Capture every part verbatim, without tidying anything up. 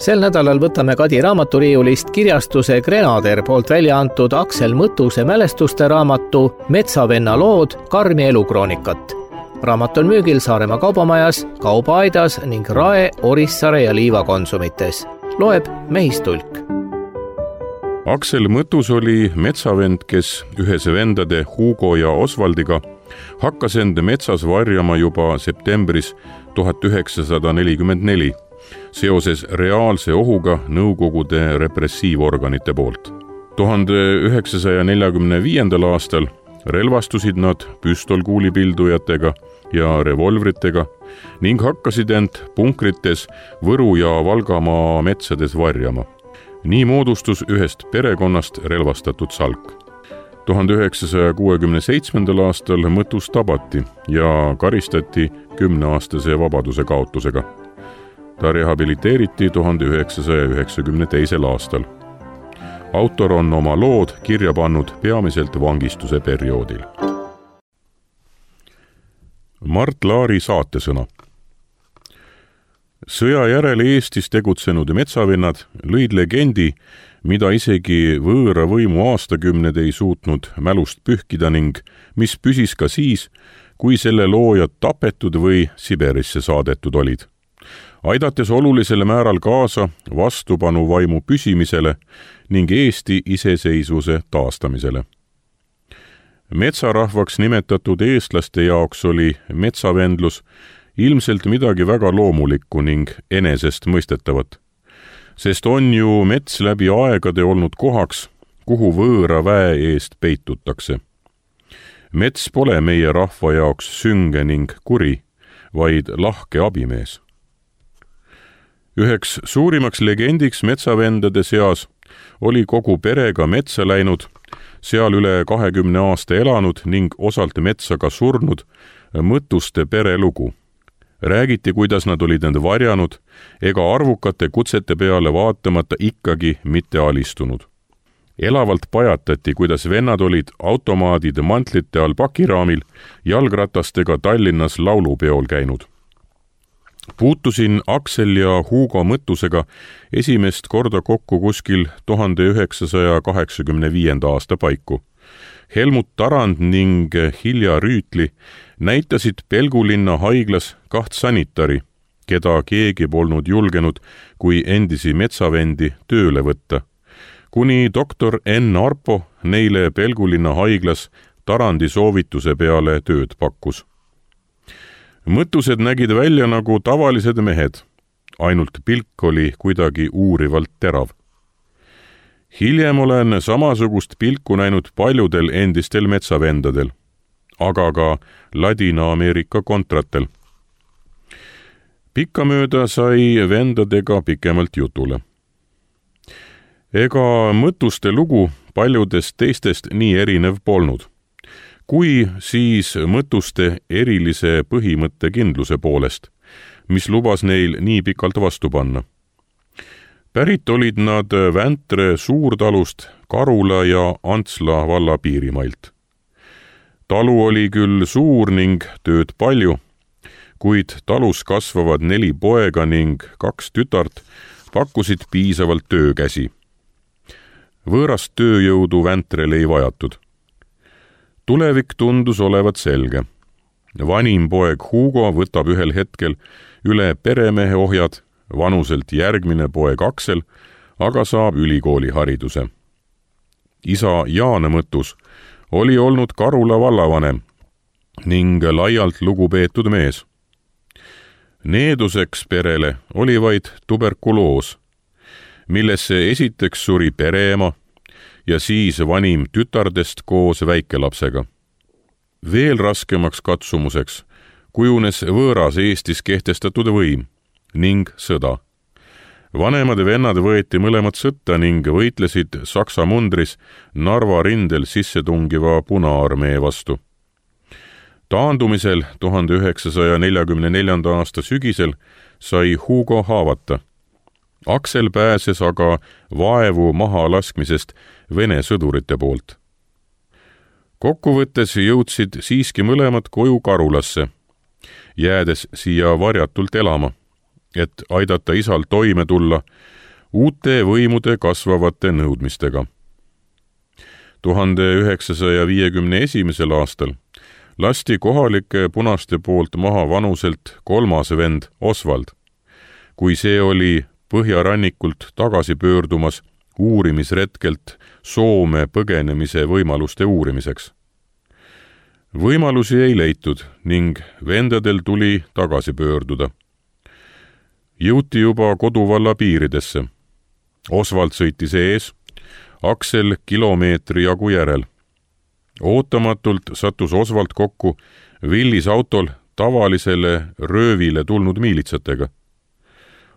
Sel nädalal võtame Kadi raamaturiiulist kirjastuse Grenader poolt välja antud Aksel Mõttuse mälestuste raamatu Metsavenna lood Karmi elukroonikat. Raamat on müügil Saaremaa kaubamajas, Kaubaaidas ning Rae, Orissaare ja Liiva konsumites. Loeb Mehistulk. Aksel Mõttus oli metsavend, kes ühes vendade Hugo ja Osvaldiga hakkas end metsas varjama juba septembris tuhat üheksasada nelikümmend neli seoses reaalse ohuga Nõukogude repressiivorganite poolt. tuhande üheksasaja neljakümne viiendal aastal relvastusid nad püstolkuulipildujatega ja revolvritega ning hakkasid end punkrites Võru ja Valgamaa metsades varjama. Nii moodustus ühest perekonnast relvastatud salk. tuhande üheksasaja kuuekümne seitsmendal aastal Mõttus tabati ja karistati kümneaastase vabaduse kaotusega. Ta rehabiliteeriti tuhande üheksasaja üheksakümne teisel aastal. Autor on oma lood kirja pannud peamiselt vangistuse perioodil. Mart Laari saatesõna. Sõja järel Eestis tegutsenud metsavennad lõid legendi, mida isegi võõra võimu aastakümned ei suutnud mälust pühkida ning mis püsis ka siis, kui selle loojad tapetud või Siberisse saadetud olid, aidates olulisel määral kaasa vastupanuvaimu püsimisele ning Eesti iseseisvuse taastamisele. Metsarahvaks nimetatud eestlaste jaoks oli metsavendlus ilmselt midagi väga loomulikku ning enesest mõistetavat, sest on ju mets läbi aegade olnud kohaks, kuhu võõra väe eest peitutakse. Mets pole meie rahva jaoks sünge ning kuri, vaid lahke abimees. Üheks suurimaks legendiks metsavendade seas oli kogu perega metsa läinud, seal üle kahekümne aasta elanud ning osalt metsa ka surnud Mõttuste perelugu. Räägiti, kuidas nad olid end varjanud ega arvukate kutsete peale vaatamata ikkagi mitte alistunud. Elavalt pajatati, kuidas vennad olid automaadid mantlite all pakiraamil jalgratastega Tallinnas laulupeol käinud. Puutusin Aksel ja Hugo Mõttusega esimest korda kokku kuskil tuhande üheksasaja kaheksakümne viienda aasta paiku. Helmut Tarand ning Hilja Rüütli näitasid Pelgulinna haiglas kaht sanitari, keda keegi polnud julgenud kui endisi metsavendi tööle võtta, kuni doktor Enn Arpo neile Pelgulinna haiglas Tarandi soovituse peale tööd pakkus. Mõttused nägid välja nagu tavalised mehed, ainult pilk oli kuidagi uurivalt terav. Hiljem olen samasugust pilku näinud paljudel endistel metsavendadel, aga ka Ladina-Ameerika kontratel. Pikkamööda sai vendadega pikemalt jutule. Ega Mõttuste lugu paljudest teistest nii erinev polnud, kui siis Mõttuste erilise põhimõttekindluse poolest, mis lubas neil nii pikalt vastu panna. Pärit olid nad Väntre suurtalust Karula ja Antsla valla piirimailt. Talu oli küll suur ning tööd palju, kuid talus kasvavad neli poega ning kaks tütart pakkusid piisavalt töökäsi. Võõrast tööjõudu Väntrele ei vajatud. Tulevik tundus olevat selge. Vanim poeg Hugo võtab ühel hetkel üle peremehe ohjad, vanuselt järgmine poeg Aksel aga saab ülikooli hariduse. Isa Jaan Mõttus oli olnud Karula vallavanem ning laialt lugupeetud mees. Needuseks perele oli vaid tuberkuloos, millesse esiteks suri pereema ja siis vanim tütardest koos väikelapsega. Veel raskemaks katsumuseks kujunes võõras Eestis kehtestatud võim ning sõda. Vanemad vennad võeti mõlemad sõtta ning võitlesid Saksa mundris Narva rindel sisse tungiva Punaarmee vastu. Taandumisel tuhande üheksasaja neljakümne neljanda aasta sügisel sai Hugo haavata. Aksel pääses aga vaevu maha laskmisest Vene sõdurite poolt. Kokkuvõttes jõudsid siiski mõlemad koju Karulasse, jäädes siia varjatult elama, et aidata isal toime tulla uute võimude kasvavate nõudmistega. tuhande üheksasaja viiekümne esimesel aastal lasti kohalike punaste poolt maha vanuselt kolmas vend Oswald, kui see oli põhjarannikult tagasi pöördumas uurimisretkelt Soome põgenemise võimaluste uurimiseks. Võimalusi ei leitud ning vendadel tuli tagasi pöörduda. Jõuti juba koduvalla piiridesse. Oswald sõitis ees, Aksel kilomeetri jagu järel. Ootamatult sattus Oswald kokku Willis autol tavalisele röövile tulnud miilitsatega.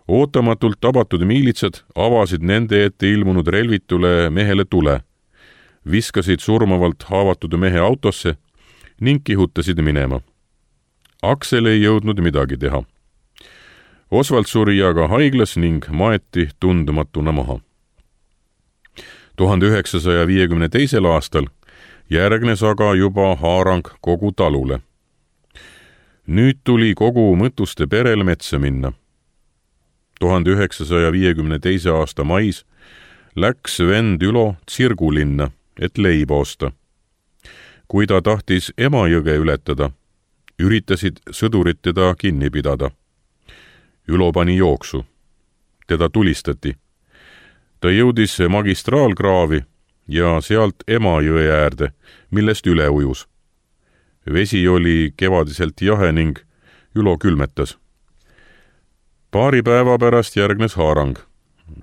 Ootamatult tabatud miilitsad avasid nende ette ilmunud relvitule mehele tule, viskasid surmavalt haavatud mehe autosse ning kihutasid minema. Aksel ei jõudnud midagi teha. Oswald suri aga haiglas ning maeti tundmatuna maha. tuhande üheksasaja viiekümne teisel aastal järgnes aga juba haarang kogu talule. Nüüd tuli kogu Mõttuste perel metsa minna. tuhande üheksasaja viiekümne teise aasta mais läks vend Ülo Tsirgulinna, et leiba osta. Kui ta tahtis Emajõge ületada, üritasid sõdurid teda kinni pidada. Ülo pani jooksu. Teda tulistati. Ta jõudis magistraalkraavi ja sealt Emajõe äärde, millest üle ujus. Vesi oli kevadiselt jahe ning Ülo külmetas. Paari päeva pärast järgnes haarang.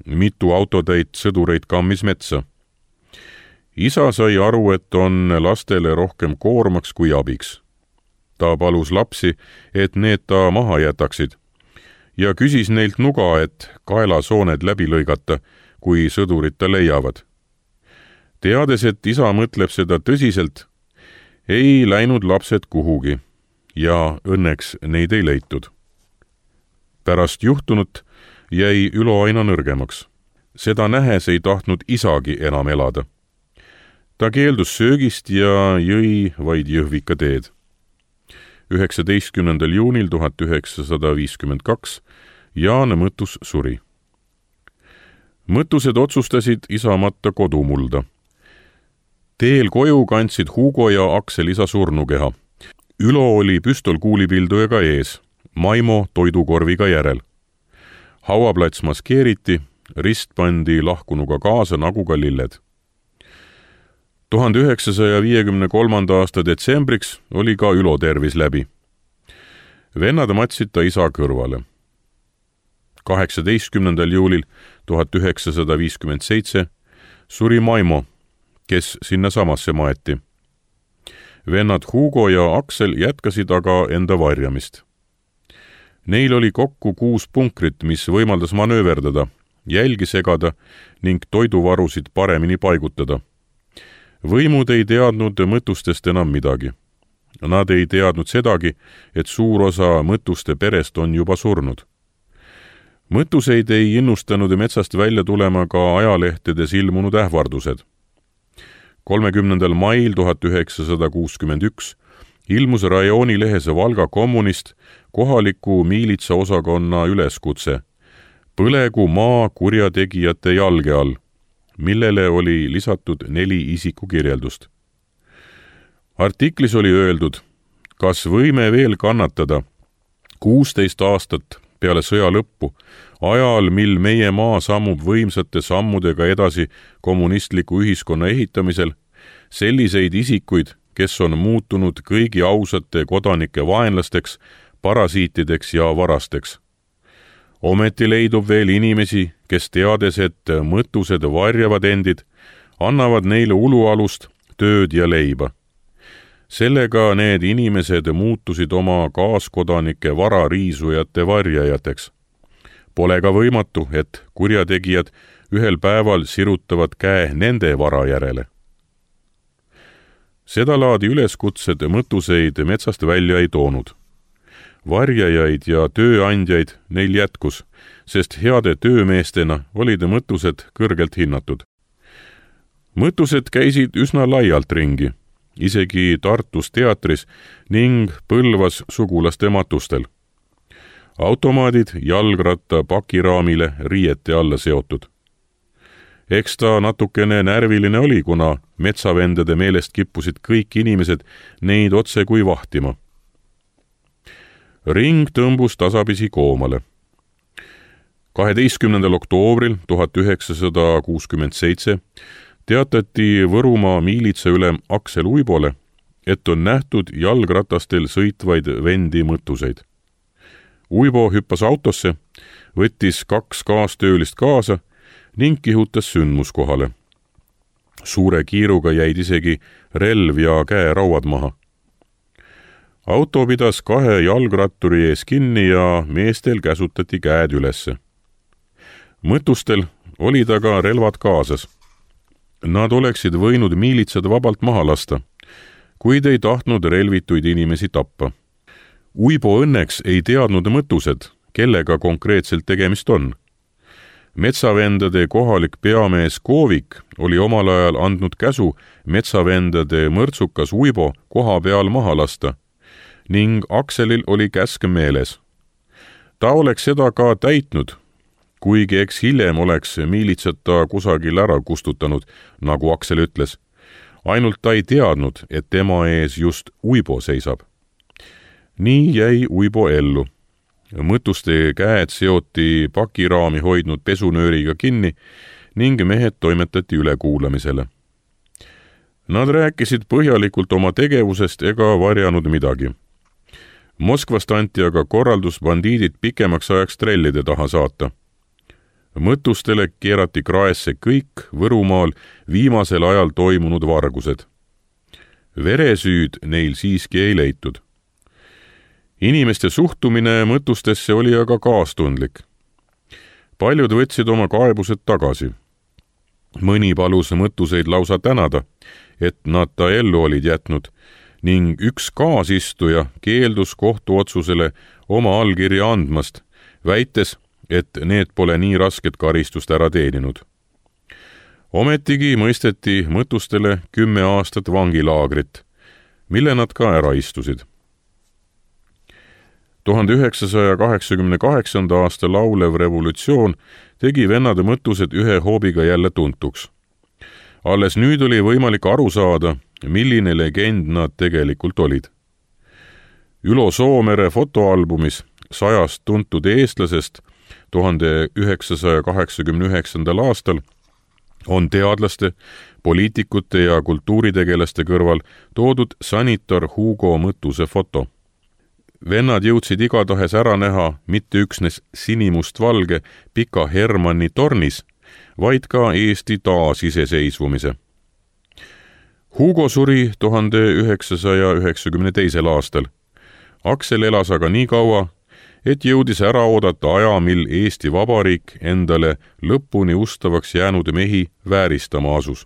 Mitu autotäit sõdureid kammis metsa. Isa sai aru, et on lastele rohkem koormaks kui abiks. Ta palus lapsi, et need ta maha jätaksid ja küsis neilt nuga, et kaelasooned läbi lõigata, kui sõdurid ta leiavad. Teades, et isa mõtleb seda tõsiselt, ei läinud lapsed kuhugi ja õnneks neid ei leitud. Pärast juhtunut jäi Ülo aina nõrgemaks. Seda nähes ei tahtnud isagi enam elada. Ta keeldus söögist ja jõi vaid jõhvika teed. üheksateistkümnendal juunil tuhat üheksasada viiskümmend kaks Jaan Mõttus suri. Mõttused otsustasid isa matta kodumulda. Teel koju kandsid Hugo ja Aksel isa surnukeha. Ülo oli püstolkuulipildujaga ees, Maimo toidukorviga järel. Hauaplats maskeeriti, rist pandi lahkunuga kaasa nagu ka lilled. tuhande üheksasaja viiekümne kolmanda aasta detsembriks oli ka Ülo tervis läbi. Vennad matsid ta isa kõrvale. kaheksateistkümnendal juulil tuhat üheksasada viiskümmend seitse suri Maimo, kes sinna samasse maeti. Vennad Hugo ja Aksel jätkasid aga enda varjamist. Neil oli kokku kuus punkrit, mis võimaldas manööverdada, jälgi segada ning toiduvarusid paremini paigutada. Võimud ei teadnud Mõttustest enam midagi. Nad ei teadnud sedagi, et suur osa Mõttuste perest on juba surnud. Mõttuseid ei innustanud metsast välja tulema ka ajalehtedes ilmunud ähvardused. kolmekümnendal mail tuhat üheksasada kuuskümmend üks ilmus rajoonilehes Valga kommunist kohaliku miilitsaosakonna üleskutse Põlegu maa kurjategijate jalge all, millele oli lisatud neli isikukirjeldust. Artiklis oli öeldud, kas võime veel kannatada kuusteist aastat peale sõja lõppu, ajal, mil meie maa sammub võimsate sammudega edasi kommunistliku ühiskonna ehitamisel, selliseid isikuid, kes on muutunud kõigi ausate kodanike vaenlasteks, parasiitideks ja varasteks. Ometi leidub veel inimesi, kes teades, et Mõttused varjavad endid, annavad neile ulualust, tööd ja leiba. Sellega need inimesed muutusid oma kaaskodanike varariisujate varjajateks. Pole ka võimatu, et kurjategijad ühel päeval sirutavad käe nende vara järele. Seda laadi üleskutsed Mõttuseid metsast välja ei toonud. Varjajaid ja tööandjaid neil jätkus, sest heade töömeestena olid Mõttused kõrgelt hinnatud. Mõttused käisid üsna laialt ringi, isegi Tartus teatris ning Põlvas sugulaste matustel. automaadid jalgratta pakiraamile riiete alla seotud. Eks ta natukene närviline oli, kuna metsavendade meelest kippusid kõik inimesed neid otse kui vahtima. Ring tõmbus tasapisi koomale. kaheteistkümnendal oktoobril tuhat üheksasada kuuskümmend seitse teatati Võrumaa miilitsaülem Aksel Uibole, et on nähtud jalgratastel sõitvaid vendi mõttuseid. Uibo hüppas autosse, võttis kaks kaastöölist kaasa ning kihutas sündmuskohale. Suure kiiruga jäid isegi relv ja käerauad maha. Auto pidas kahe jalgratturi ees kinni ja meestel käsutati käed ülesse. Mõttustel olid aga relvad kaasas. Nad oleksid võinud miilitsad vabalt maha lasta, kuid ei tahtnud relvituid inimesi tappa. Uibo õnneks ei teadnud mõttused, kellega konkreetselt tegemist on. Metsavendade kohalik peamees Koovik oli omal ajal andnud käsu metsavendade mõrtsukas Uibo koha peal maha lasta ning Akselil oli käsk meeles. Ta oleks seda ka täitnud, kuigi eks hiljem oleks miilitsad ta kusagil ära kustutanud, nagu Aksel ütles. Ainult ta ei teadnud, et tema ees just Uibo seisab. Nii jäi Uibo ellu. Mõtuste käed seoti pakiraami hoidnud pesunööriga kinni ning mehed toimetati ülekuulamisele. Nad rääkisid põhjalikult oma tegevusest ega varjanud midagi. Moskvast anti aga korraldus bandiidid pikemaks ajaks trellide taha saata. Mõttustele keerati kraesse kõik Võrumaal viimasel ajal toimunud vargused. Veresüüd neil siiski ei leitud. Inimeste suhtumine mõttustesse oli aga kaastundlik. Paljud võtsid oma kaebused tagasi. Mõni palus mõttuseid lausa tänada, et nad ta ellu olid jätnud, ning üks kaasistuja keeldus kohtuotsusele oma allkirja andmast, väites, et need pole nii rasket karistust ära teeninud. Ometigi mõisteti mõttustele kümme aastat vangilaagrit, mille nad ka ära istusid. tuhande üheksasaja kaheksakümne kaheksanda aasta laulev revolutsioon tegi vennade mõttused ühe hoobiga jälle tuntuks. Alles nüüd oli võimalik aru saada, milline legend nad tegelikult olid. Ülo Soomere fotoalbumis sajast tuntud eestlasest tuhande üheksasaja kaheksakümne üheksandal aastal on teadlaste, poliitikute ja kultuuritegelaste kõrval toodud sanitar Hugo Mõttuse foto. Vennad jõudsid igatahes ära näha mitte üksnes sinimustvalge Pika Hermanni tornis, vaid ka Eesti taasiseseisvumise. Hugo suri tuhande üheksasaja üheksakümne teisel aastal. Aksel elas aga nii kaua, et jõudis ära oodata aja, mil Eesti Vabariik endale lõpuni ustavaks jäänud mehi vääristama asus.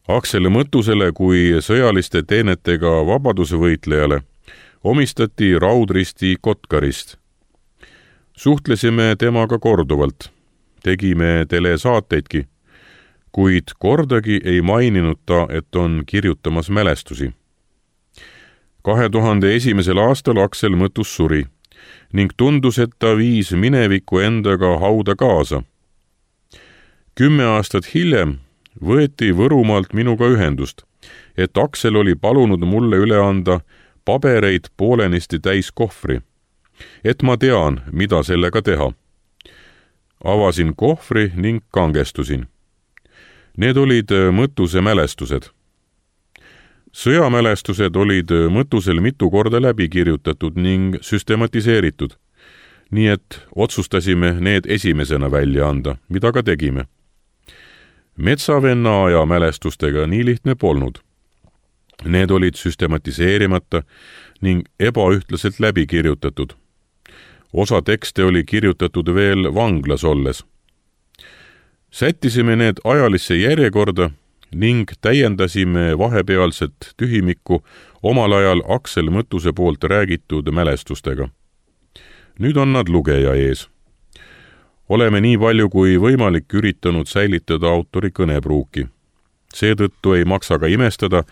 Aksel Mõttusele kui sõjaliste teenetega vabadusvõitlejale omistati Raudristi Kotkarist. Suhtlesime temaga korduvalt, tegime telesaateidki, kuid kordagi ei maininud ta, et on kirjutamas mälestusi. kahe tuhande esimesel aastal Aksel Mõttus suri ning tundus, et ta viis mineviku endaga hauda kaasa. Kümme aastat hiljem võeti Võrumaalt minuga ühendust, et Aksel oli palunud mulle üle anda pabereid poolenisti täis kohvri, et ma tean, mida sellega teha. Avasin kohvri ning kangestusin. Need olid Mõttuse mälestused. Sõjamälestused olid Mõttusel mitu korda läbi kirjutatud ning süstematiseeritud, nii et otsustasime need esimesena välja anda, mida ka tegime. Metsavenna aja mälestustega nii lihtne polnud. Need olid süstematiseerimata ning ebaühtlaselt läbi kirjutatud. Osa tekste oli kirjutatud veel vanglas olles. Sättisime need ajalisse järjekorda ning täiendasime vahepealset tühimikku omal ajal Aksel Mõttuse poolt räägitud mälestustega. Nüüd on nad lugeja ees. Oleme nii palju kui võimalik üritanud säilitada autori kõnepruuki. Seetõttu ei maksa ka imestada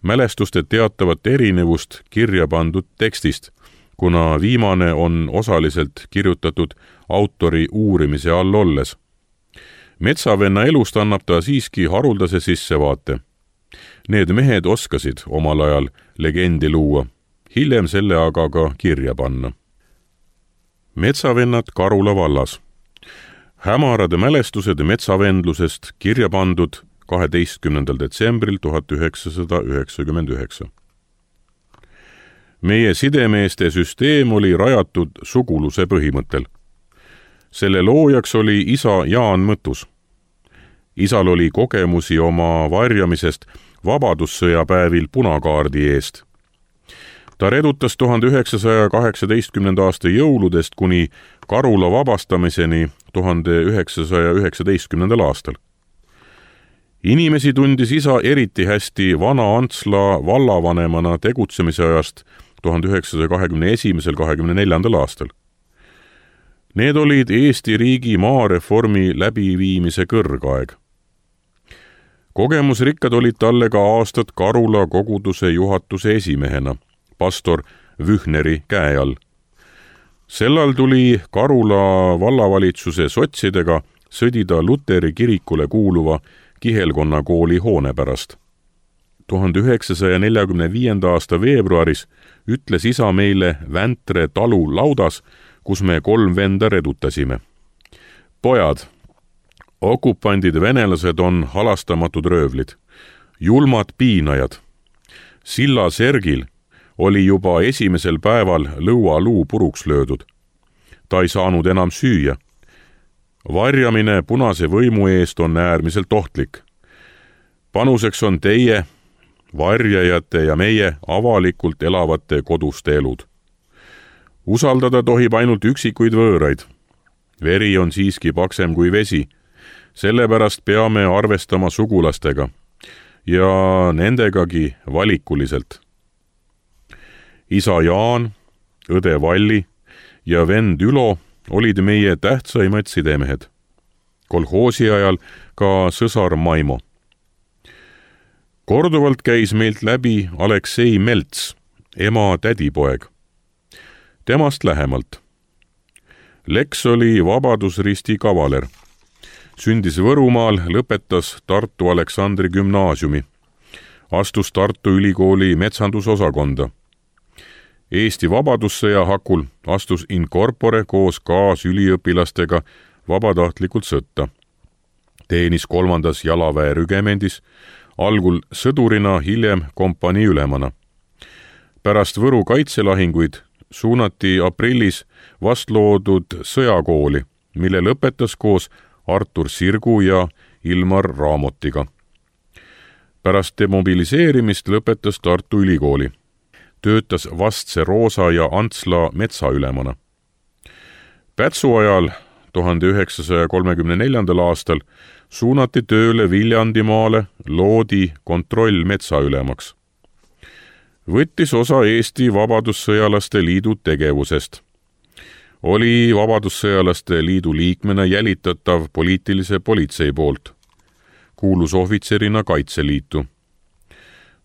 mälestuste teatavat erinevust kirja pandud tekstist, kuna viimane on osaliselt kirjutatud autori uurimise all olles. Metsavenna elust annab ta siiski haruldase sissevaate. Need mehed oskasid omal ajal legendi luua, hiljem selle aga ka kirja panna. Metsavennad Karula vallas. Hämarad mälestused metsavendlusest kirja pandud kaheteistkümnendal detsembril tuhat üheksasada üheksakümmend üheksa. Meie sidemeeste süsteem oli rajatud suguluse põhimõttel. Selle loojaks oli isa Jaan Mõttus. Isal oli kogemusi oma varjamisest vabadussõjapäevil punakaardi eest. Ta redutas tuhande üheksasaja kaheksateistkümnenda aasta jõuludest kuni Karula vabastamiseni tuhande üheksasaja üheksateistkümnendal aastal. Inimesi tundis isa eriti hästi Vana-Antsla vallavanemana tegutsemise ajast tuhande üheksasaja kahekümne esimesel kahekümne neljandal aastal. Need olid Eesti riigi maareformi läbiviimise kõrgaeg. Kogemusrikkad olid talle ka aastad Karula koguduse juhatuse esimehena, pastor Vühneri käe all. Sellal tuli Karula vallavalitsuse sotsidega sõdida Luteri kirikule kuuluva Kihelkonna kooli hoone pärast. tuhande üheksasaja neljakümne viienda aasta veebruaris ütles isa meile Väntre talu laudas, kus me kolm venda redutasime. Pojad, okupandid venelased on halastamatud röövlid, julmad piinajad. Silla Sergil oli juba esimesel päeval lõualuu puruks löödud. Ta ei saanud enam süüa. Varjamine punase võimu eest on äärmiselt ohtlik. Panuseks on teie, varjajate ja meie avalikult elavate koduste elud. Usaldada tohib ainult üksikuid võõraid. Veri on siiski paksem kui vesi. Sellepärast peame arvestama sugulastega ja nendegagi valikuliselt. Isa Jaan, õde Valli ja vend Ülo olid meie tähtsaimad sidemehed. Kolhoosi ajal ka sõsar Maimo. Korduvalt käis meilt läbi Aleksei Melts, ema tädipoeg. Temast lähemalt. Leks oli Vabadusristi kavaler. Sündis Võrumaal, lõpetas Tartu Aleksandri gümnaasiumi. Astus Tartu Ülikooli metsandusosakonda. Eesti vabadussõja hakul astus in corpore koos kaasüliõpilastega vabatahtlikult sõtta. Teenis kolmandas jalaväe rügemendis, algul sõdurina, hiljem kompanii ülemana. Pärast Võru kaitselahinguid suunati aprillis vastloodud sõjakooli, mille lõpetas koos Artur Sirgu ja Ilmar Raamotiga. Pärast demobiliseerimist lõpetas Tartu Ülikooli. Töötas Vastse Roosa ja Antsla metsaülemana. Pätsu ajal tuhande üheksasaja kolmekümne neljandal aastal suunati tööle Viljandimaale Loodi kontrollmetsaülemaks. Võttis osa Eesti Vabadussõjalaste Liidu tegevusest. Oli Vabadussõjalaste Liidu liikmena jälitatav poliitilise politsei poolt. Kuulus ohvitserina Kaitseliitu.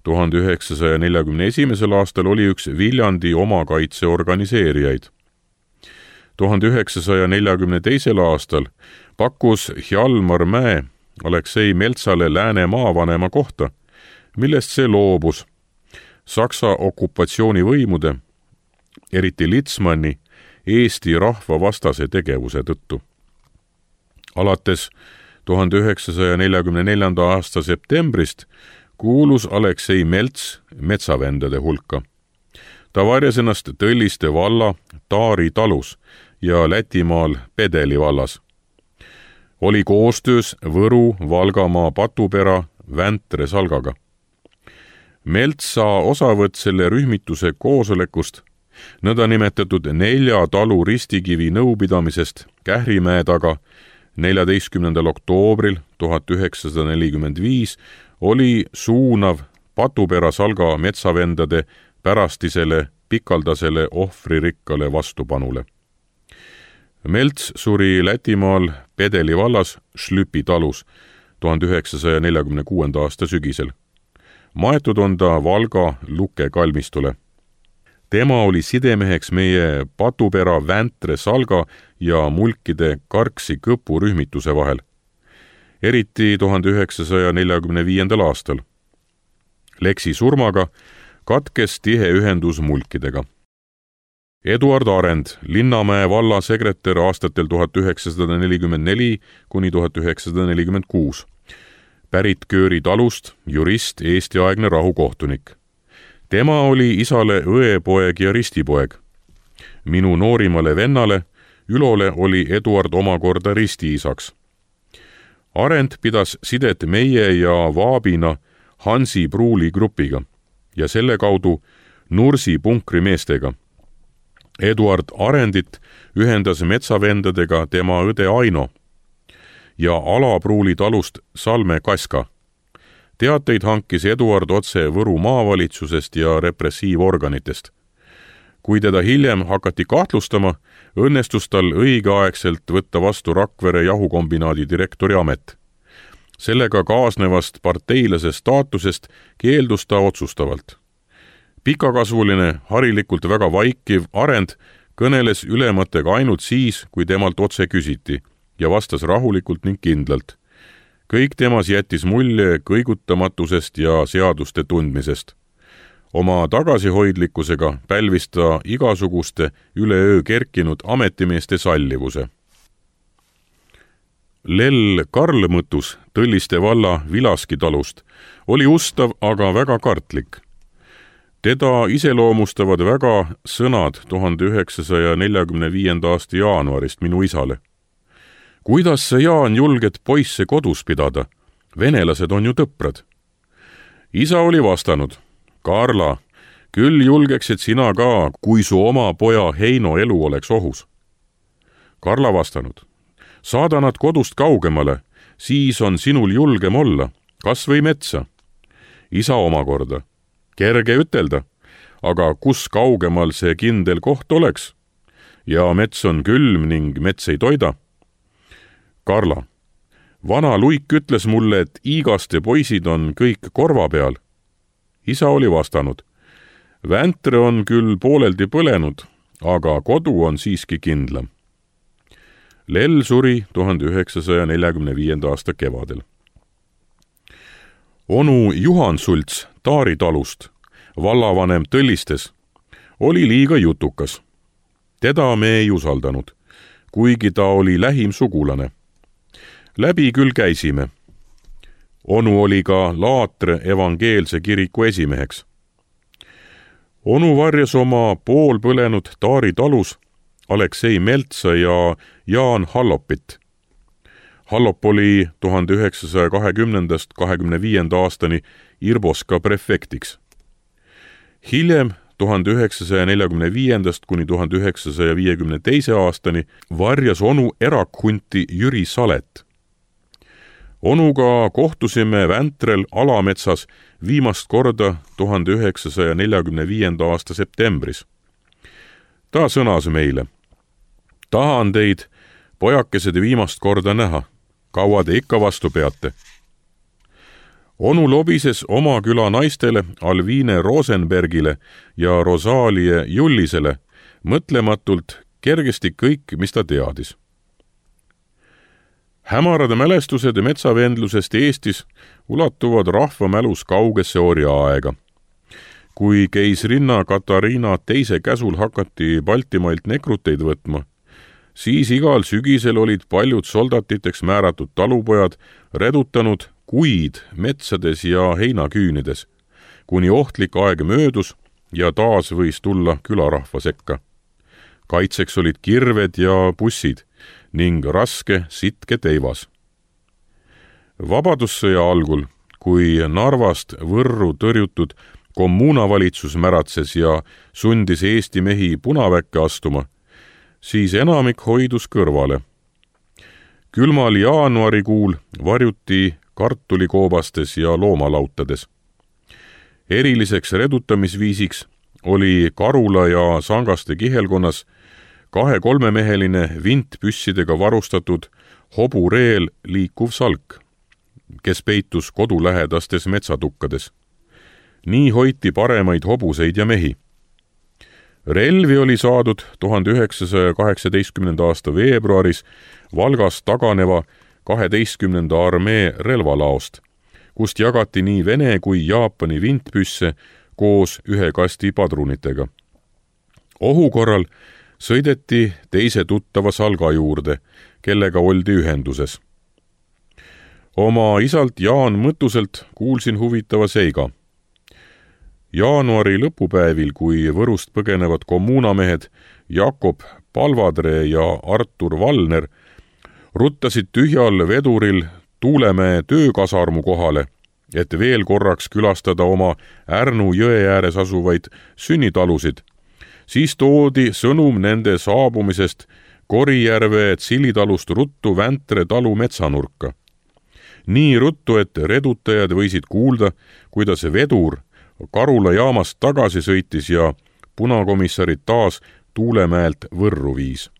tuhande üheksasaja neljakümne esimesel aastal oli üks Viljandi omakaitse organiseerijaid. tuhande üheksasaja neljakümne teisel aastal pakkus Hjalmar Mäe Aleksei Meltsale Lääne maavanema kohta, millest see loobus Saksa okupatsioonivõimude, eriti Litzmanni, Eesti rahva vastase tegevuse tõttu. Alates tuhande üheksasaja neljakümne neljanda aasta septembrist kuulus Aleksei Melts metsavendade hulka. Ta varjas ennast Tõlliste valla Taari talus ja Lätimaal Pedeli vallas. Oli koostöös Võru, Valgamaa, Patupera, Väntre salgaga. Melts saa osavõtt selle rühmituse koosolekust, nõndanimetatud nelja talu ristikivi nõupidamisest Kährimäe taga neljateistkümnendal oktoobril tuhat üheksasada nelikümmend viis oli suunav Patupera salga metsavendade pärastisele pikaldasele ohvririkkale vastupanule. Melts suri Lätimaal Pedeli vallas Šlüpi talus tuhande üheksasaja neljakümne kuuenda aasta sügisel. Maetud on ta Valga Luke kalmistule. tema oli sidemeheks meie Patupera, Väntre, Salga ja Mulkide Karksi Kõpu rühmituse vahel, eriti tuhande üheksasaja neljakümne viiendal aastal. Leksi surmaga katkes tihe ühendus Mulkidega. Eduard Arend, Linnamäe valla sekretär aastatel tuhat üheksasada nelikümmend neli kuni tuhat üheksasada nelikümmend kuus. Pärit Kööri talust, jurist, Eesti-aegne rahukohtunik. Tema oli isale õepoeg ja ristipoeg. Minu noorimale vennale, Ülole, oli Eduard omakorda ristiisaks. Arend pidas sidet meie ja Vaabina Hansi Pruuli grupiga ja selle kaudu Nursi punkri meestega. Eduard Arendit ühendas metsavendadega tema õde Aino ja Alapruuli talust Salme Kaska. Teateid hankis Eduard otse Võru maavalitsusest ja repressiivorganitest. Kui teda hiljem hakati kahtlustama, õnnestus tal õigeaegselt võtta vastu Rakvere jahukombinaadi direktori amet. Sellega kaasnevast parteilase staatusest keeldus ta otsustavalt. Pikakasvuline, harilikult väga vaikiv Arend kõneles ülematega ainult siis, kui temalt otse küsiti ja vastas rahulikult ning kindlalt. Kõik temas jättis mulje kõigutamatusest ja seaduste tundmisest. Oma tagasihoidlikkusega pälvis ta igasuguste üleöö kerkinud ametimeeste sallivuse. Lell Karl Mõttus Tõlliste valla Vilaski talust oli ustav, aga väga kartlik. Teda iseloomustavad väga sõnad tuhande üheksasaja neljakümne viienda aasta jaanuarist minu isale. Kuidas sa, Jaan, julged poisse kodus pidada? Venelased on ju tõprad. Isa oli vastanud, Karla, küll julgeksid sina ka, kui su oma poja Heino elu oleks ohus. Karla vastanud, saada nad kodust kaugemale, siis on sinul julgem olla, kas või metsa. Isa omakorda, kerge ütelda, aga kus kaugemal see kindel koht oleks? Ja mets on külm ning mets ei toida. Karla, vana Luik ütles mulle, et Iigaste poisid on kõik korva peal. Isa oli vastanud, Väntre on küll pooleldi põlenud, aga kodu on siiski kindlam. Lell suri tuhande üheksasaja neljakümne viienda aasta kevadel. Onu Juhan Sults Taari talust, vallavanem Tõllistes, oli liiga jutukas. Teda me ei usaldanud, kuigi ta oli lähim sugulane. Läbi küll käisime. Onu oli ka Laatre evangeelse kiriku esimeheks. Onu varjas oma poolpõlenud Taari talus Aleksei Meltsa ja Jaan Hallopit. Hallop oli tuhande üheksasaja kahekümnendast kahekümne viienda aastani Irboska prefektiks. Hiljem tuhande üheksasaja neljakümne viiendast kuni tuhande üheksasaja viiekümne teise aastani varjas onu erakhunti Jüri Salet. Onuga kohtusime Väntrel Alametsas viimast korda tuhande üheksasaja neljakümne viienda aasta septembris. Ta sõnas meile, tahan teid, pojakesed, viimast korda näha, kaua te ikka vastu peate. Onu lobises oma küla naistele Alviine Rosenbergile ja Rosalie Jullisele mõtlematult kergesti kõik, mis ta teadis. Hämarad mälestused metsavendlusest Eestis ulatuvad rahvamälus kaugesse orjaaega. Kui keisrinna Katariina teise käsul hakati Baltimailt nekruteid võtma, siis igal sügisel olid paljud soldatiteks määratud talupojad redutanud kuid metsades ja heinaküünides, kuni ohtlik aeg möödus ja taas võis tulla külarahva sekka. Kaitseks olid kirved ja bussid ning raske sitke teivas. Vabadussõja algul, kui Narvast Võrru tõrjutud kommunavalitsus märatses ja sundis Eesti mehi Punaväkke astuma, siis enamik hoidus kõrvale. Külmal jaanuarikuul varjuti kartulikoobastes ja loomalautades. Eriliseks redutamisviisiks oli Karula ja Sangaste kihelkonnas kahe-kolmemeheline vintpüssidega varustatud hobureel liikuv salk, kes peitus kodulähedastes metsatukkades. Nii hoiti paremaid hobuseid ja mehi. relvi oli saadud tuhande üheksasaja kaheksateistkümnenda aasta veebruaris Valgast taganeva kaheteistkümnenda armee relvalaost, kust jagati nii Vene kui Jaapani vintpüsse koos ühe kasti padrunitega. Ohu korral sõideti teise tuttava Salga juurde, kellega oldi ühenduses. Oma isalt Jaan Mõttuselt kuulsin huvitava seiga. Jaanuari lõpupäevil, kui Võrust põgenevad kommuunamehed Jakob Palvadre ja Artur Valner ruttasid tühjal veduril Tuulemäe töökasarmu kohale, et veel korraks külastada oma Ärnu jõe ääres asuvaid sünnitalusid, siis toodi sõnum nende saabumisest Korijärve Tsilitalust ruttu Väntre talu metsanurka. Nii ruttu, et redutajad võisid kuulda, kuidas vedur Karula jaamast tagasi sõitis ja punakomissarid taas Tuulemäelt Võrru viis.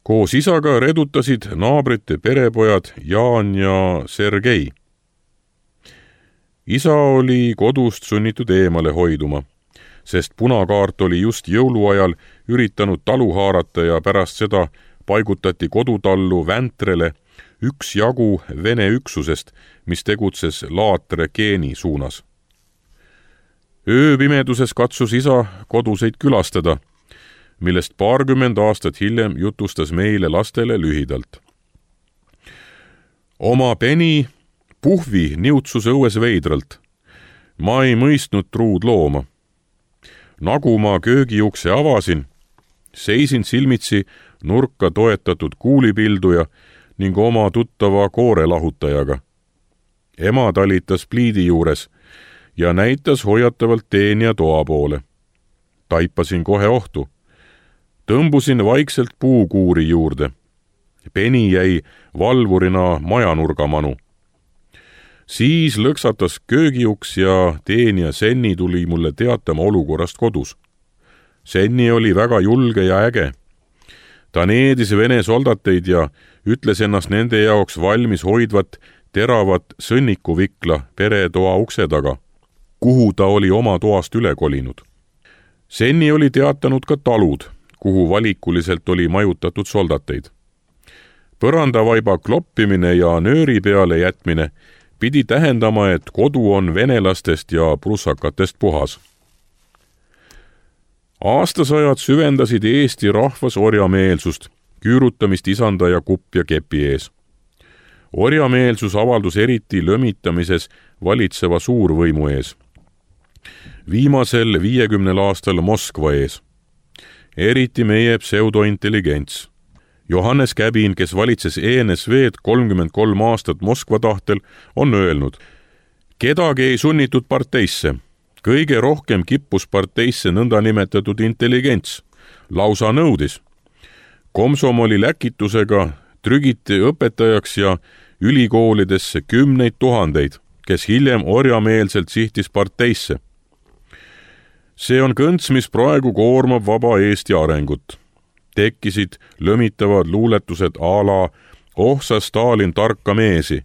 Koos isaga redutasid naabrite perepojad Jaan ja Sergei. Isa oli kodust sunnitud eemale hoiduma, sest punakaart oli just jõuluajal üritanud talu haarata ja pärast seda paigutati kodutallu Väntrele üks jagu Vene üksusest, mis tegutses Laatre Geeni suunas. Ööpimeduses katsus isa koduseid külastada, millest paarkümmend aastat hiljem jutustas meile lastele lühidalt. Oma peni puhvi niutsus õues veidralt. Ma ei mõistnud truud looma. Nagu ma köögiukse avasin, seisin silmitsi nurka toetatud kuulipilduja ning oma tuttava koorelahutajaga. Ema talitas pliidi juures ja näitas hoiatavalt teenija toa poole. Taipasin kohe ohtu. Tõmbusin vaikselt puukuuri juurde. Peni jäi valvurina majanurgamanu. Siis lõksatas köögiuks ja teenija Senni tuli mulle teatama olukorrast kodus. Senni oli väga julge ja äge. Ta needis Vene soldateid ja ütles ennast nende jaoks valmis hoidvat teravat sõnnikuvikla peretoa ukse taga, kuhu ta oli oma toast üle kolinud. Senni oli teatanud ka talud, kuhu valikuliselt oli majutatud soldateid. Põrandavaiba kloppimine ja nööri peale jätmine pidi tähendama, et kodu on venelastest ja prussakatest puhas. Aastasajad süvendasid Eesti rahvas orjameelsust, küürutamist isanda ja kupp ja kepi ees. Orjameelsus avaldus eriti lömitamises valitseva suurvõimu ees. Viimasel viiekümnel aastal Moskva ees. Eriti meie pseudointelligents. Johannes Käbin, kes valitses E N S V-d kolmkümmend kolm aastat Moskva tahtel, on öelnud: kedagi ei sunnitud parteisse. Kõige rohkem kippus parteisse nõndanimetatud intelligents. Lausa nõudis. Komsomoli läkitusega trügiti õpetajaks ja ülikoolidesse kümneid tuhandeid, kes hiljem orjameelselt sihtis parteisse. See on kõnts, mis praegu koormab vaba Eesti arengut. Tekkisid lömitavad luuletused a la Oh sa Stalin tarka meesi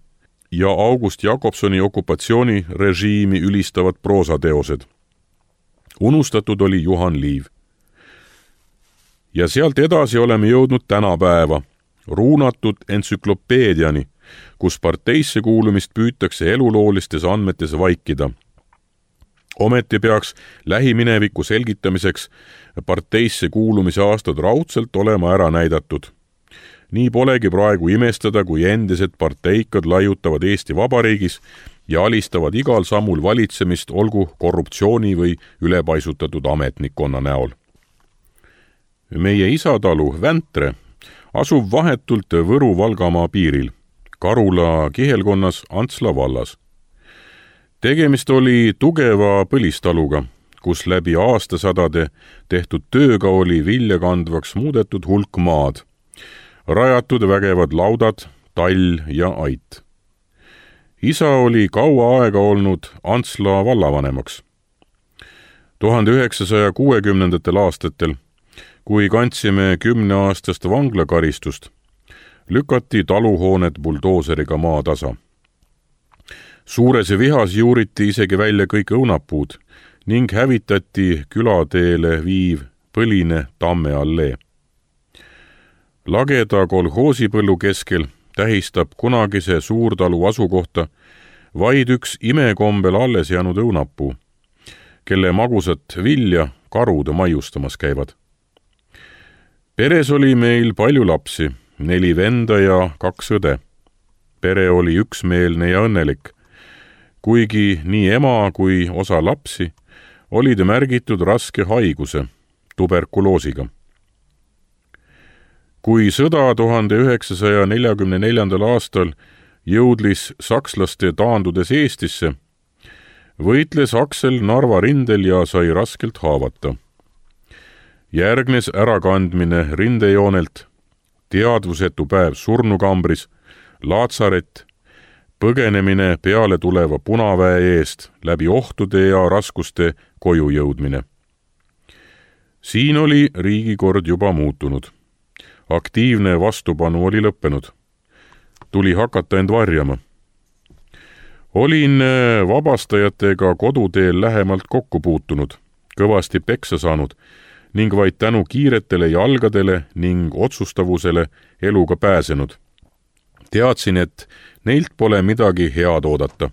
ja August Jakobsoni okupatsioonirežiimi ülistavad proosateosed. Unustatud oli Juhan Liiv. Ja sealt edasi oleme jõudnud tänapäeva, ruunatud entsüklopeediani, kus parteisse kuulumist püütakse eluloolistes andmetes vaikida. Ometi peaks lähimineviku selgitamiseks parteisse kuulumise aastad raudselt olema ära näidatud. Nii polegi praegu imestada, kui endised parteikad laiutavad Eesti Vabariigis ja alistavad igal sammul valitsemist, olgu korruptsiooni või ülepaisutatud ametnikkonna näol. Meie isatalu Väntre asub vahetult Võru-Valgamaa piiril, Karula kihelkonnas Antsla vallas. Tegemist oli tugeva põlistaluga, kus läbi aastasadade tehtud tööga oli vilja kandvaks muudetud hulk maad, rajatud vägevad laudad, tall ja ait. Isa oli kaua aega olnud Antsla vallavanemaks. tuhande üheksasaja kuuekümnendatel aastatel, kui kandsime kümneaastast vanglakaristust, lükati taluhoonet buldooseriga maatasa. Suures vihas juuriti isegi välja kõik õunapuud ning hävitati külateele viiv põline Tamme allee. Lageda kolhoosipõllu keskel tähistab kunagise suurtalu asukohta vaid üks imekombel alles jäänud õunapuu, kelle magusat vilja karud maiustamas käivad. Peres oli meil palju lapsi, neli venda ja kaks õde. Pere oli üksmeelne ja õnnelik, kuigi nii ema kui osa lapsi olid märgitud raske haiguse, tuberkuloosiga. Kui sõda tuhande üheksasaja neljakümne neljandal aastal jõudlis sakslaste taandudes Eestisse, võitles Aksel Narva rindel ja sai raskelt haavata. Järgnes ärakandmine rindejoonelt, teadvusetu päev surnukambris, laatsaret, põgenemine peale tuleva punaväe eest, läbi ohtude ja raskuste koju jõudmine. Siin oli riigikord juba muutunud. Aktiivne vastupanu oli lõppenud. Tuli hakata end varjama. Olin vabastajatega koduteel lähemalt kokku puutunud, kõvasti peksa saanud ning vaid tänu kiiretele jalgadele ning otsustavusele eluga pääsenud. Teadsin, et neilt pole midagi head oodata.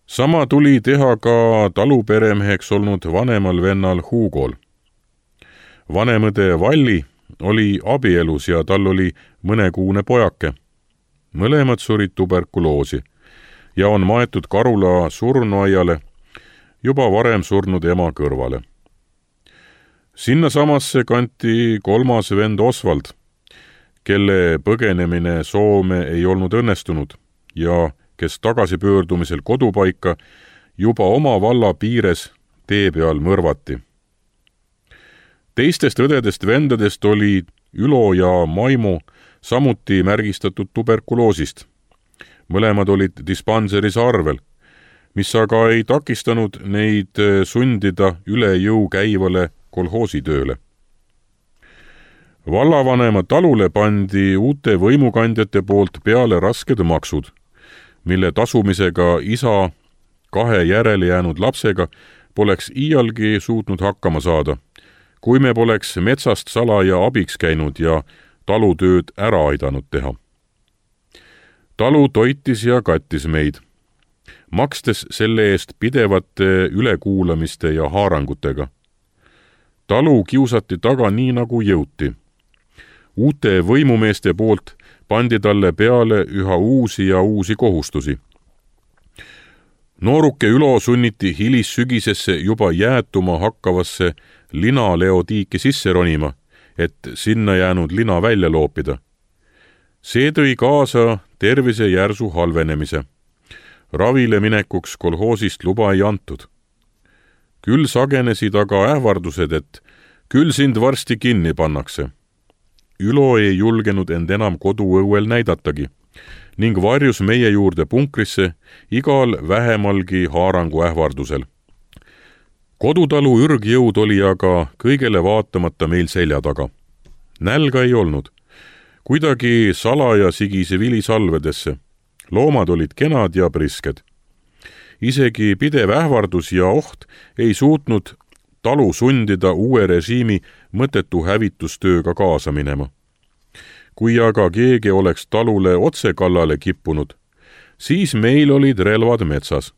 Sama tuli teha ka taluperemeheks olnud vanemal vennal Hugol. Vanemõde Valli oli abielus ja tal oli mõnekuune pojake. Mõlemad surid tuberkuloosi ja on maetud Karula surnuaiale juba varem surnud ema kõrvale. Sinna samasse kanti kolmas vend Osvald, kelle põgenemine Soome ei olnud õnnestunud ja kes tagasipöördumisel kodupaika juba oma valla piires tee peal mõrvati. Teistest õdedest vendadest oli Ülo ja Maimo samuti märgistatud tuberkuloosist. Mõlemad olid dispanseris arvel, mis aga ei takistanud neid sundida üle jõu käivale kolhoositööle. Vallavanema talule pandi uute võimukandjate poolt peale rasked maksud, mille tasumisega isa kahe järele jäänud lapsega poleks iialgi suutnud hakkama saada, kui me poleks metsast salaja abiks käinud ja talutööd ära aidanud teha. Talu toitis ja kattis meid, makstes selle eest pidevate ülekuulamiste ja haarangutega. Talu kiusati taga nii nagu jõuti. Uute võimumeeste poolt pandi talle peale üha uusi ja uusi kohustusi. Nooruke Ülo sunniti hilissügisesse juba jäätuma hakkavasse linaleotiiki sisse ronima, et sinna jäänud lina välja loopida. See tõi kaasa tervise järsu halvenemise. Ravile minekuks kolhoosist luba ei antud. Küll sagenesid aga ähvardused, et küll sind varsti kinni pannakse. Ülo ei julgenud end enam koduõuel näidatagi ning varjus meie juurde punkrisse igal vähemalgi haarangu ähvardusel. Kodutalu ürgjõud oli aga kõigele vaatamata meil selja taga. Nälga ei olnud. Kuidagi salaja sigise vilisalvedesse. Loomad olid kenad ja prisked. Isegi pidev ähvardus ja oht ei suutnud talu sundida uue režiimi mõttetu hävitustööga kaasa minema. Kui aga keegi oleks talule otse kallale kippunud, siis meil olid relvad metsas.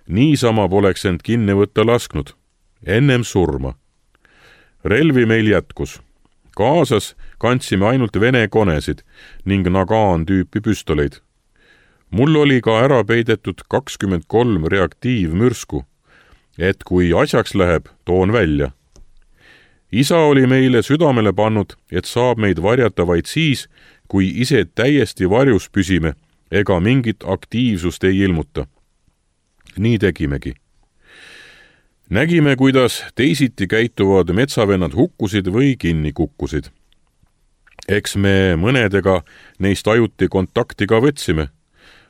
Niisama poleks end kinni võtta lasknud, ennem surma. Relvi meil jätkus. Kaasas kandsime ainult vene konesid ning nagaan tüüpi püstoleid. Mul oli ka ära peidetud kakskümmend kolm reaktiivmürsku, et kui asjaks läheb, toon välja. Isa oli meile südamele pannud, et saab meid varjata vaid siis, kui ise täiesti varjus püsime ega mingit aktiivsust ei ilmuta. Nii tegimegi. Nägime, kuidas teisiti käituvad metsavennad hukkusid või kinni kukkusid. Eks me mõnedega neist ajuti kontakti ka võtsime,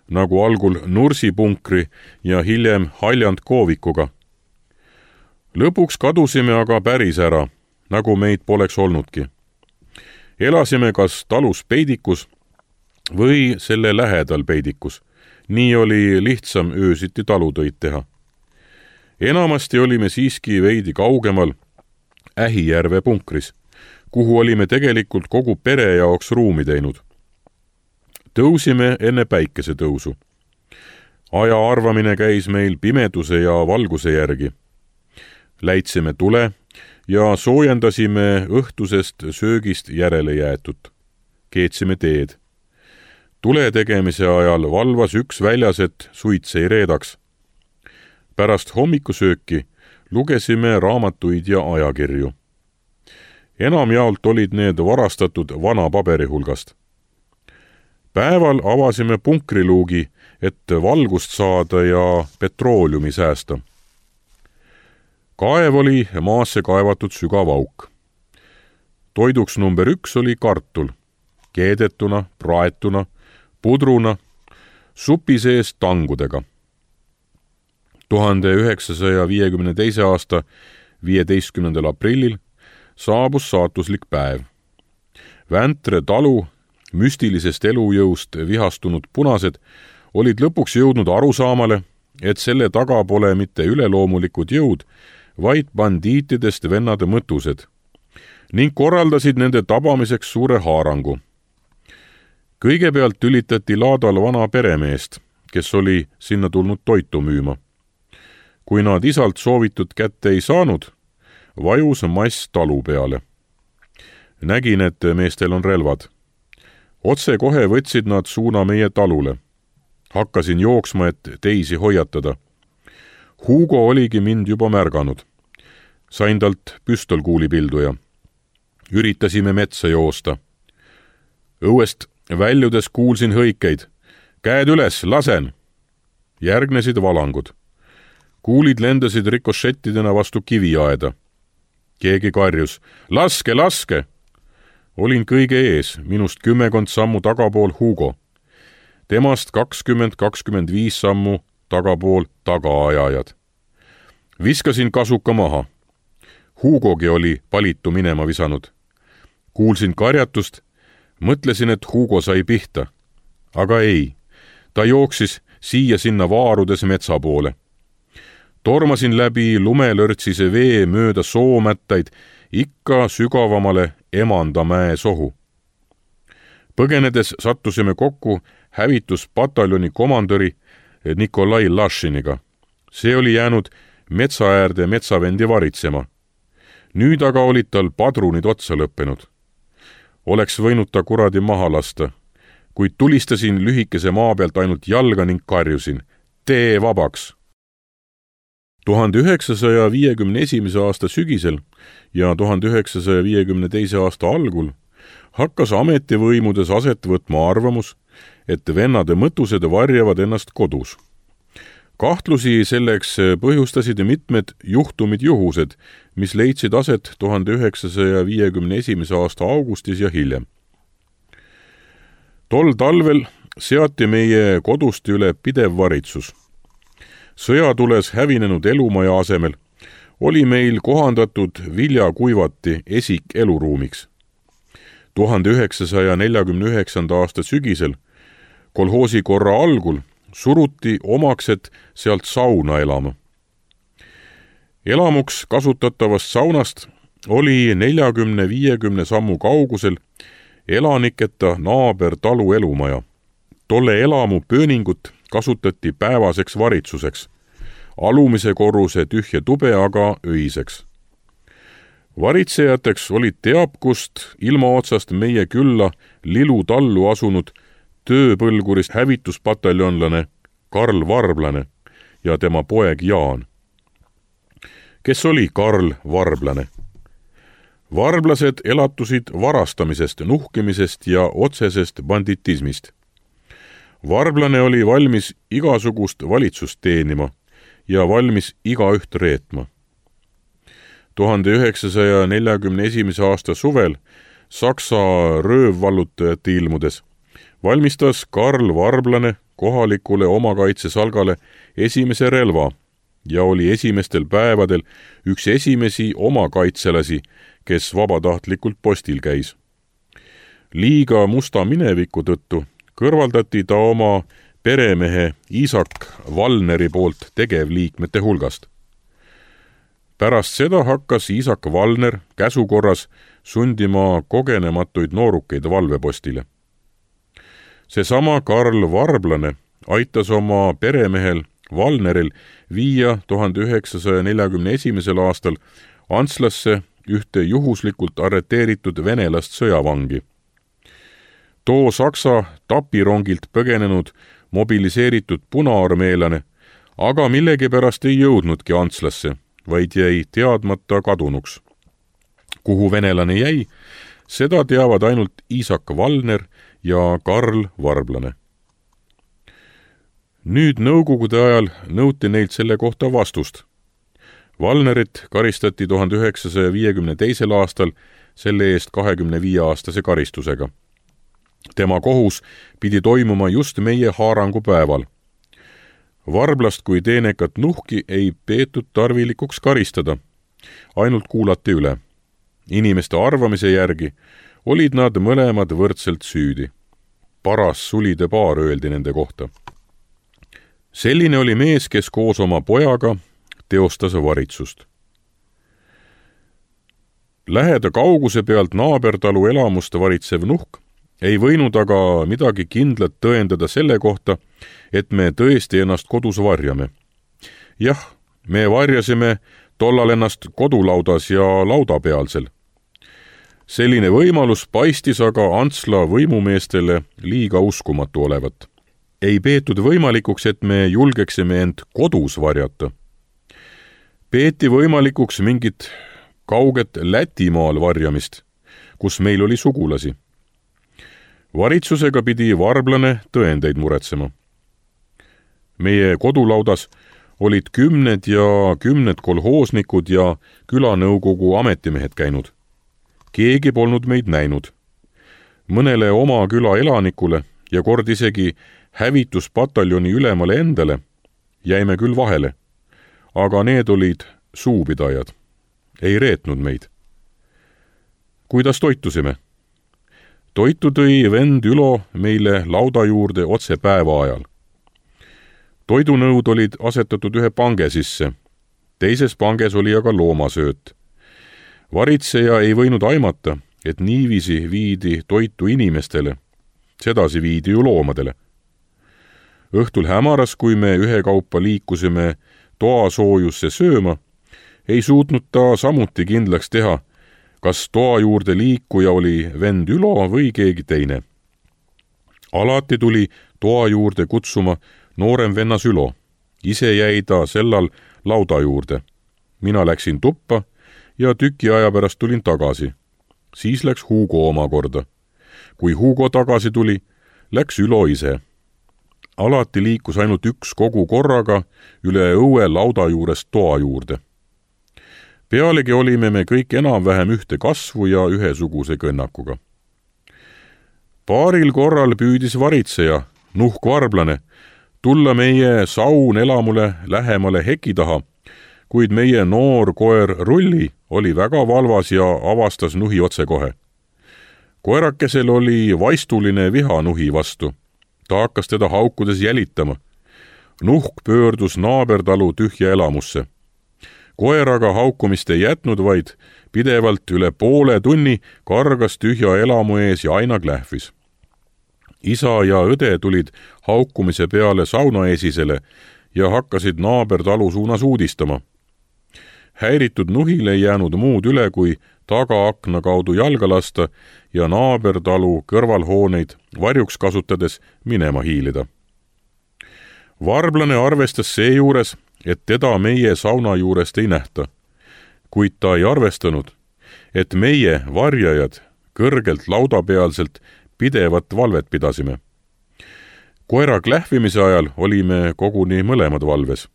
nagu algul Nursipunkri ja hiljem Haljand Koovikuga. Lõpuks kadusime aga päris ära, nagu meid poleks olnudki. Elasime kas talus peidikus või selle lähedal peidikus. Nii oli lihtsam öösiti talutöid teha. enamasti olime siiski veidi kaugemal Ähijärve punkris, kuhu olime tegelikult kogu pere jaoks ruumi teinud. Tõusime enne päikesetõusu. Aja arvamine käis meil pimeduse ja valguse järgi. Läitsime tule ja soojendasime õhtusest söögist järele jäetut. Keetsime teed. Tule tegemise ajal valvas üks väljas, et suits ei reedaks. Pärast hommikusööki lugesime raamatuid ja ajakirju. Enamjaolt olid need varastatud vana paberi hulgast. Päeval avasime punkriluugi, et valgust saada ja petrooliumi säästa. Kaev oli maasse kaevatud sügav auk. Toiduks number üks oli kartul, keedetuna, praetuna, pudruna, supi sees tangudega. tuhande üheksasaja viiekümne teise aasta viieteistkümnendal aprillil saabus saatuslik päev. Väntre talu müstilisest elujõust vihastunud punased olid lõpuks jõudnud arusaamale, et selle taga pole mitte üleloomulikud jõud, vaid bandiitidest vennade mõtused, ning korraldasid nende tabamiseks suure haarangu. Kõigepealt tülitati laadal vana peremeest, kes oli sinna tulnud toitu müüma. Kui nad isalt soovitud kätte ei saanud, vajus mass talu peale. Nägin, et meestel on relvad. Otse kohe võtsid nad suuna meie talule. Hakkasin jooksma, et teisi hoiatada. Hugo oligi mind juba märganud. Sain talt püstolkuulipilduja. Üritasime metsa joosta. Õuest väljudes kuulsin hõikeid. Käed üles, lasen! Järgnesid valangud. Kuulid lendasid rikošettidena vastu kiviaeda. Keegi karjus. Laske, laske! Olin kõige ees, minust kümmekond sammu tagapool Hugo. Temast kakskümmend kakskümmend viis sammu tagapool tagaajajad. Viskasin kasuka maha. Hugogi oli palitu minema visanud. Kuulsin karjatust, mõtlesin, et Hugo sai pihta. Aga ei, ta jooksis siia sinna vaarudes metsa poole. Tormasin läbi lumelörtsise vee mööda soomättaid ikka sügavamale Emandamäe sohu. Põgenedes sattusime kokku hävituspataljoni komandöri Nikolai Lašiniga. See oli jäänud metsaäärde metsavendi varitsema. Nüüd aga olid tal padrunid otsa lõppenud. Oleks võinud ta kuradi maha lasta, kuid tulistasin lühikese maa pealt ainult jalga ning karjusin. Tee vabaks! tuhande üheksasaja viiekümne esimese aasta sügisel ja tuhande üheksasaja viiekümne teise aasta algul hakkas ametivõimudes aset võtma arvamus, et vennade mõtused varjavad ennast kodus. Kahtlusi selleks põhjustasid mitmed juhtumid juhused, mis leidsid aset tuhande üheksasaja viiekümne esimese aasta augustis ja hiljem. Tol talvel seati meie kodust üle pidev varitsus. Sõjatules hävinenud elumaja asemel oli meil kohandatud viljakuivati esik eluruumiks. tuhande üheksasaja neljakümne üheksanda aasta sügisel, kolhoosi korra algul, suruti omakset sealt sauna elama. Elamuks kasutatavast saunast oli neljakümne viiekümne sammu kaugusel elaniketa naaber talu elumaja. Tolle elamu pööningut kasutati päevaseks varitsuseks, alumise korruse tühje tube aga öiseks. Varitsejateks olid teabkust ilma otsast meie külla Lilu tallu asunud tööpõlgurist hävituspataljonlane Karl Varblane ja tema poeg Jaan. Kes oli Karl Varblane? Varblased elatusid varastamisest, nuhkimisest ja otsesest banditismist. Varblane oli valmis igasugust valitsust teenima ja valmis igaüht reetma. tuhande üheksasaja neljakümne esimese aasta suvel Saksa röövvallutajate ilmudes valmistas Karl Varblane kohalikule omakaitsesalgale esimese relva ja oli esimestel päevadel üks esimesi omakaitselasi, kes vabatahtlikult postil käis. Liiga musta mineviku tõttu kõrvaldati ta oma peremehe Isak Valneri poolt tegevliikmete hulgast. pärast seda hakkas Iisak Valner käsukorras sundima kogenematuid noorukeid valvepostile. Seesama Karl Varblane aitas oma peremehel Valneril viia tuhande üheksasaja neljakümne esimesel aastal Antslasse ühte juhuslikult arreteeritud venelast sõjavangi. Too Saksa tapirongilt põgenenud mobiliseeritud punaarmeelane aga millegipärast ei jõudnudki Antslasse, vaid jäi teadmata kadunuks. Kuhu venelane jäi, seda teavad ainult Iisak Valner ja Karl Varblane. Nüüd nõukogude ajal nõuti neilt selle kohta vastust. Valnerit karistati tuhande üheksasaja viiekümne teisel aastal selle eest kahekümne viie aastase karistusega. Tema kohus pidi toimuma just meie haarangupäeval. Varblast kui teenekat nuhki ei peetud tarvilikuks karistada, ainult kuulati üle. Inimeste arvamise järgi olid nad mõlemad võrdselt süüdi. Paras sulide paar öeldi nende kohta. Selline oli mees, kes koos oma pojaga teostas varitsust. Läheda kauguse pealt naabertalu elamust varitsev nuhk ei võinud aga midagi kindlat tõendada selle kohta, et me tõesti ennast kodus varjame. Jah, me varjasime tollal ennast kodulaudas ja laudapealsel. Selline võimalus paistis aga Antsla võimumeestele liiga uskumatu olevat. Ei peetud võimalikuks, et me julgeksime end kodus varjata. Peeti võimalikuks mingit kauget Lätimaal varjamist, kus meil oli sugulasi. Varitsusega pidi Varblane tõendeid muretsema. Meie kodulaudas olid kümned ja kümned kolhoosnikud ja külanõukogu ametimehed käinud. Keegi polnud meid näinud. Mõnele oma küla elanikule ja kord isegi hävituspataljoni ülemale endale jäime küll vahele, aga need olid suupidajad, ei reetnud meid. Kuidas toitusime? Toitu tõi vend Ülo meile lauda juurde otse päeva ajal. Toidunõud olid asetatud ühe pange sisse, teises panges oli aga loomasööt. Varitseja ei võinud aimata, et niiviisi viidi toitu inimestele, sedasi viidi ju loomadele. Õhtul hämaras, kui me ühekaupa liikusime toasoojusse sööma, ei suutnud ta samuti kindlaks teha, kas toa juurde liikuja oli vend Ülo või keegi teine. Alati tuli toa juurde kutsuma noorem vennas Ülo. Ise jäi ta sellal lauda juurde. Mina läksin tuppa ja tüki aja pärast tulin tagasi. Siis läks Hugo omakorda. Kui Hugo tagasi tuli, läks Ülo ise. Alati liikus ainult üks kogu korraga üle õue lauda juurest toa juurde. Pealegi olime me kõik enam-vähem ühte kasvu ja ühesuguse kõnnakuga. Paaril korral püüdis varitseja, nuhk Varblane, tulla meie saun elamule lähemale heki taha, kuid meie noor koer Rulli oli väga valvas ja avastas nuhi otsekohe. Koerakesel oli vaistuline viha nuhi vastu. Ta hakkas teda haukudes jälitama. Nuhk pöördus naabertalu tühja elamusse. Koer aga haukumist ei jätnud, vaid pidevalt üle poole tunni kargas tühja elamu ees ja aina klähvis. Isa ja õde tulid haukumise peale saunaesisele ja hakkasid naabertalu suunas uudistama. Häiritud nuhil ei jäänud muud üle, kui tagaakna kaudu jalga lasta ja naabertalu kõrvalhooneid varjuks kasutades minema hiilida. Varblane arvestas seejuures, et teda meie sauna juurest ei nähta, kuid ta ei arvestanud, et meie varjajad kõrgelt laudapealselt pidevat valvet pidasime. Koera klähvimise ajal olime koguni mõlemad valves.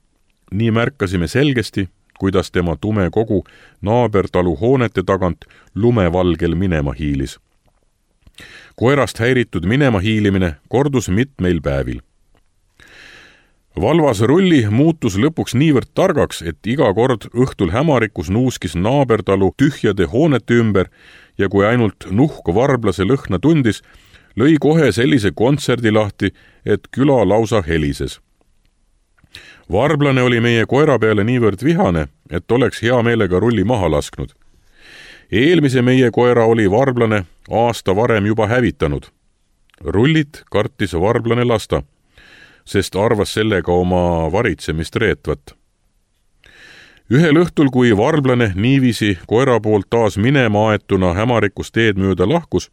Nii märkasime selgesti, kuidas tema tume kogu naabertalu hoonete tagant lumevalgel minema hiilis. Koerast häiritud minema hiilimine kordus mitmeil päevil. Valvas Rulli muutus lõpuks niivõrd targaks, et iga kord õhtul hämarikus nuuskis naabertalu tühjade hoonete ümber ja kui ainult nuhk varblase lõhna tundis, lõi kohe sellise kontserdi lahti, et küla lausa helises. Varblane oli meie koera peale niivõrd vihane, et oleks hea meelega rulli maha lasknud. Eelmise meie koera oli varblane aasta varem juba hävitanud. Rullit kartis varblane lasta, sest arvas sellega oma varitsemist reetvat. Ühel õhtul, kui varblane niiviisi koera poolt taas minema aetuna hämarikust teed mööda lahkus,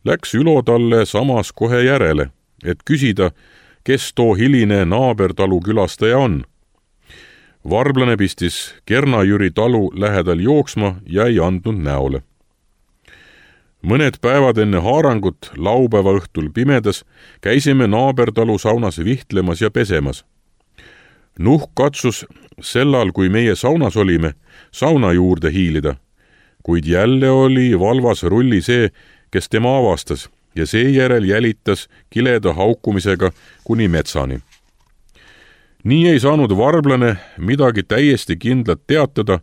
läks Ülo talle samas kohe järele, et küsida, kes too hiline naabertalu külastaja on. Varblane pistis Kernajüri talu lähedal jooksma ja ei andnud näole. Mõned päevad enne haarangut laupäeva õhtul pimedas käisime naabertalu saunas vihtlemas ja pesemas. Nuhk katsus sellal, kui meie saunas olime, sauna juurde hiilida, kuid jälle oli valvas rulli see, kes tema avastas ja seejärel jälitas kileda haukumisega kuni metsani. Nii ei saanud varblane midagi täiesti kindlat teatada,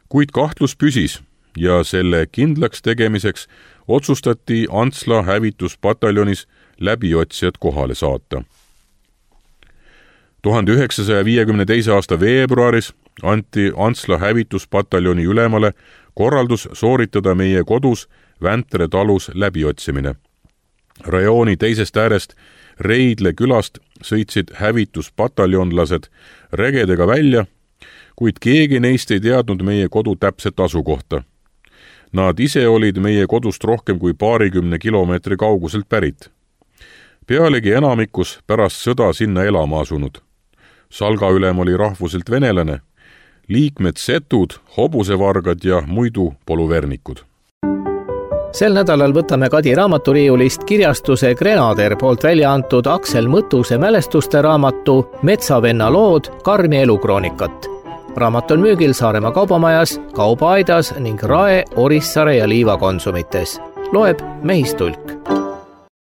kuid kahtlus püsis ja selle kindlaks tegemiseks otsustati Antsla hävituspataljonis läbiotsijad kohale saata. tuhande üheksasaja viiekümne teise aasta veebruaris anti Antsla hävituspataljoni ülemale korraldus sooritada meie kodus Väntre talus läbiotsimine. Rajooni teisest äärest Reidle külast sõitsid hävituspataljonlased regedega välja, kuid keegi neist ei teadnud meie kodu täpset asukohta. Nad ise olid meie kodust rohkem kui paarikümne kilomeetri kauguselt pärit. Pealegi enamikus pärast sõda sinna elama asunud. Salga ülem oli rahvuselt venelane, liikmed setud, hobusevargad ja muidu poluvernikud. Sel nädalal võtame Kadi raamaturiiulist kirjastuse Grenader poolt välja antud Aksel Mõttuse mälestuste raamatu Metsavenna lood, Karmi elukroonikat. Raamat on müügil Saaremaa kaubamajas, Kaubaaidas ning Rae, Orissaare ja Liiva konsumites. Loeb Mehistulk.